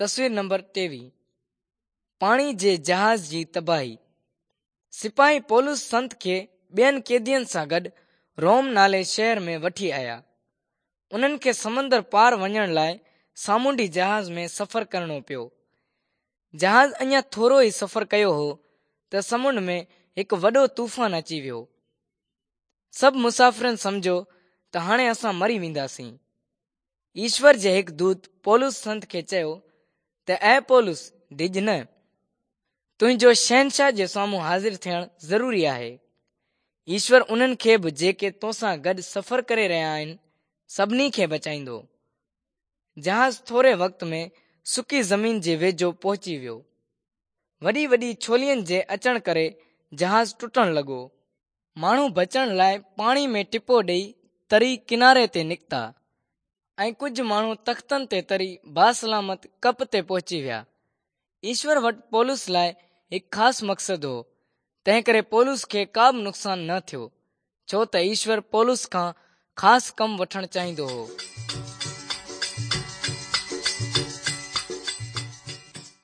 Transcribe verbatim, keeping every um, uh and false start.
تصوير نمبر ٽيويهه. پاڻي جي جهاز جي تباهي. سپاهي پولس سنت کي ٻين قيدين سان گڏ روم نالي شهر ۾ وٺي آيا. انهن کي سمندر پار وڃڻ لاءِ سامونڊي جهاز ۾ سفر ڪرڻو پيو. جهاز اڃا ٿورو ئي سفر ڪيو هو ته سمنڊ ۾ هڪ وڏو طوفان اچي ويو. سڀ مسافرن سمجهيو ته هاڻي اسان مري وينداسين. ايشور جي هڪ دوت پولس سنت کي چيو ته اي پولس، ڊڄ نه، تنهنجو شهنشاهه جي سامهون حاضر ٿيڻ ضروري آهي. ايشور انهن کي به جيڪي توسان گڏ سفر ڪري رهيا آهن، سڀني کي بچائيندو. جهاز ٿوري وقت ۾ سڪي زمين جي ويجهو پهچي ويو. وڏي وڏي ڇولين جي اچڻ ڪري جهاز ٽٽڻ لڳو. ماڻهو بچڻ لاءِ پاڻي ۾ ٽپو ڏئي تري ڪناري تي نڪتا ۽ ڪجهه ماڻهو تختن تي تري باسلامت ڪپ تي پهچي ويا. ايشور وٽ پولس لاءِ هڪ خاص مقصد هو، تنهن ڪري پولس کي ڪا به نقصان نه ٿيو، ڇو ته ايشور پولس کان خاص ڪم وٺڻ چاهيندو هو.